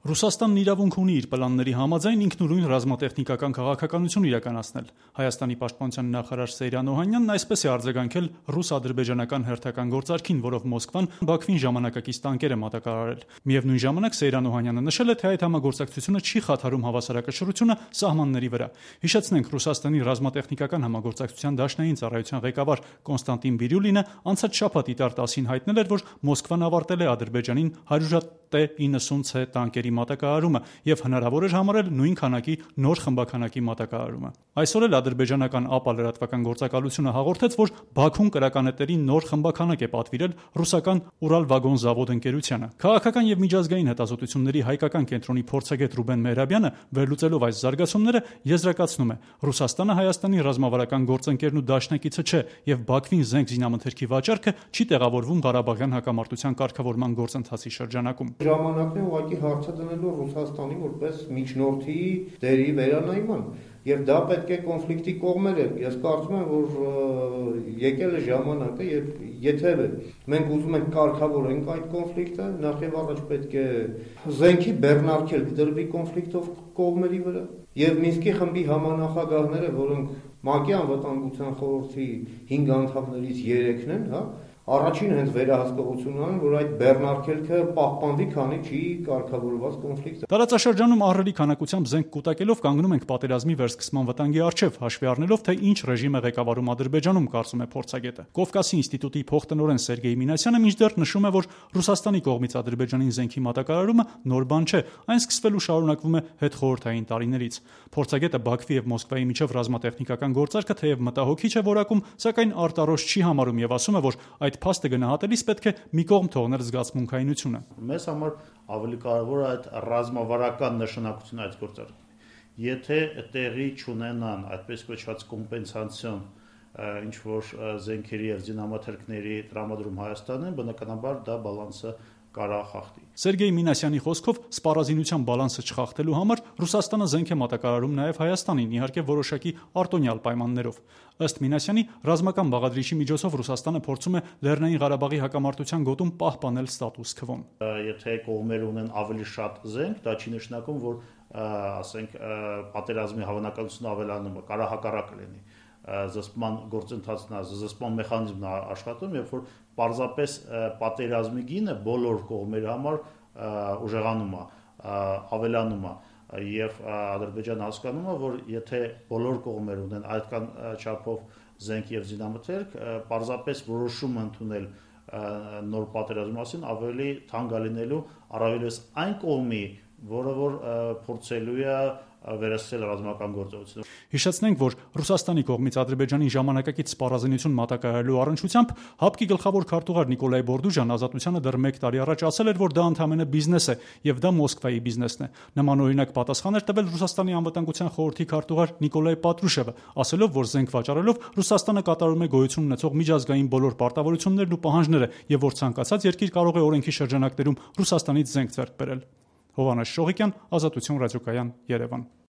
Ռուսաստանն իրավունք ունի իր պլանների համաձայն ինքնուրույն ռազմատեխնիկական քաղաքականություն իրականացնել։ Հայաստանի պաշտպանության նախարար Սեյրան Օհանյանն այսպես է արձագանքել ռուս-ադրբեջանական հերթական գործարքին, որով Մոսկվան Բաքվին ժամանակակից տանկեր է մատակարարել։ Միևնույն ժամանակ Սեյրան Օհանյանը նշել է, թե այդ համագործակցությունը չի խաթարում հավասարակշռությունը սահմանների վրա։ Հիշեցնենք, Ռուսաստանի ռազմատեխնիկական համագործակցության դաշնային ծառայության ղեկավար Կոնստանտին Բիրյուլինը անցած շաբաթ Իտար 10-ին հայտնել էր, որ Մոսկվան ավարտել է Ադրբեջանին 100 T-90C տանկերի մատակարարումը եւ հնարավոր էր համարել նույն քանակի նոր խմբաքանակի մատակարարումը։ Այսօր էլ ադրբեջանական ԱՊԱ լրատվական գործակալությունը հաղորդեց, որ Բաքուն կրականետերի նոր խմբաքանակ է պատվիրել ռուսական Урал-Վագոն-Զավոդ ընկերությանը։ Քաղաքական եւ միջազգային հետազոտությունների հայկական կենտրոնի փորձագետ Ռուբեն Մեհրաբյանը, վերլուծելով այս զարգացումները, եզրակացնում է. Ռուսաստանը Հայաստանի ռազմավարական գործընկերն ու դաշնակիցը չէ եւ Բաքվին զենք զինամթերքի վաճառքը չի տեղավորվում Ղարաբաղյան հակամարտության կարգավորման գործընթացի շրջանակում։ Ժամանակն է ուղղակի հարցը դնելու Ռուսաստանի որպես միջնորդի դերի վերանայման, եւ դա պետք է կոնֆլիկտի կողմեր է։ Ես կարծում եմ, որ եկել է ժամանակը, եւ եթե մենք ուզում ենք կարգավորենք այդ կոնֆլիկտը, նախ եւ առաջ պետք է զենքի բեռնարկել դրվի կոնֆլիկտով կողմերի վրա, եւ Մինսկի խմբի համանախագահները, որոնք ՄԱԿ-ի անվտանգության խորհրդի 5 անդամներից 3-ն են, առաջին հենց վերահսկողությունն են, որ այդ բեռնարկելքը պահպանվի, քանի չի կարգավորված կոնֆլիկտը։ Տարածաշրջանում ահռելի քանակությամբ զենք կուտակելով կանգնում ենք պատերազմի վերսկսման վտանգի առջև, հաշվի առնելով, թե ինչ ռեժիմ է ղեկավարում Ադրբեջանում, կարծում է փորձագետը։ Կովկասի ինստիտուտի փոխտնօրեն Սերգեյ Մինասյանը մինչդեռ նշում է, որ Ռուսաստանի կողմից Ադրբեջանին զենքի մատակարարումը նոր բան չէ, այն սկսվելու շարունակվում է հետխորհրդային տարիներից։ Փորձագետը Բաքվի եւ Մոսկվայի միջև ռազմատեխնիկական գործարքը թեև մտահոգիչ է որակում, սակայն արտարոշ չի համարում եւ ասում է, որ այդ փաստը գնահատելիս պետք է մի կողմ թողնել զգացմունքայինությունը։ Մեզ համար ավելի կարևոր է այդ ռազմավարական նշանակությունը այդ գործարքի։ Եթե տեղի չունենան այդպես կոչված կոմպենսացիոն ինչ որ զենքերի եւ զինամթերքների տրամադրում Հայաստանին, բնականաբար դա բալանսը կարա խախտի։ Սերգեյ Մինասյանի խոսքով սպառազինության բալանսը չխախտելու համար Ռուսաստանը զենք է մատակարարում նաև Հայաստանին, իհարկե որոշակի արտոնյալ պայմաններով։ Ըստ Մինասյանի, ռազմական բաղադրիչի միջոցով Ռուսաստանը փորձում է Լեռնային Ղարաբաղի հակամարտության գոտում պահպանել ստատուս քվոն։ Եթե կողմերը ունեն ավելի շատ զենք, դա չի նշանակում, որ ասենք պատերազմի հավանականությունը ավելանում է, կարա հակառակը լինի։ Զսպման գործընթացն, զսպման մեխանիզմն աշխատում, երբ որ պարզապես պատերազմի գինը բոլոր կողմերի համար ուժեղանում է, ավելանում է, եւ Ադրբեջանը հասկանում է, որ եթե բոլոր կողմերը ունեն այդքան չափով զենք եւ զինամթերք, պարզապես որոշում ընդունել նոր պատերազմի մասին ավելի թանկ է լինելու առավելևս այն կողմի, որը որ փորձելու է վերահսկել ռազմական գործողությունը։ Հիշեցնենք, որ Ռուսաստանի կողմից Ադրբեջանին ժամանակակից սպառազինություն մատակարարելու առնչությամբ ՀԱՊԿ-ի գլխավոր քարտուղար Նիկոլայ Բորդուժան Ազատությանը դեռ 1 տարի առաջ ասել էր, որ դա ընդհանրապես բիզնես է եւ դա Մոսկվայի բիզնեսն է։ Նմանօրինակ պատասխան էր տվել Ռուսաստանի անվտանգության խորհրդի քարտուղար Նիկոլայ Պատրուշևը, ասելով, որ զենք վաճառելով Ռուսաստանը կատարում է գոյություն ունեցող միջազգային բոլոր պարտավորություններն ու պահանջները եւ որ ցանկացած երկիր կարող է օրենքի շրջանակներում Ռուսաստանից զենք ձեռք բերել։ Հովհաննես Շողիկյան, Ազատություն ռադիոկայան, Երևան։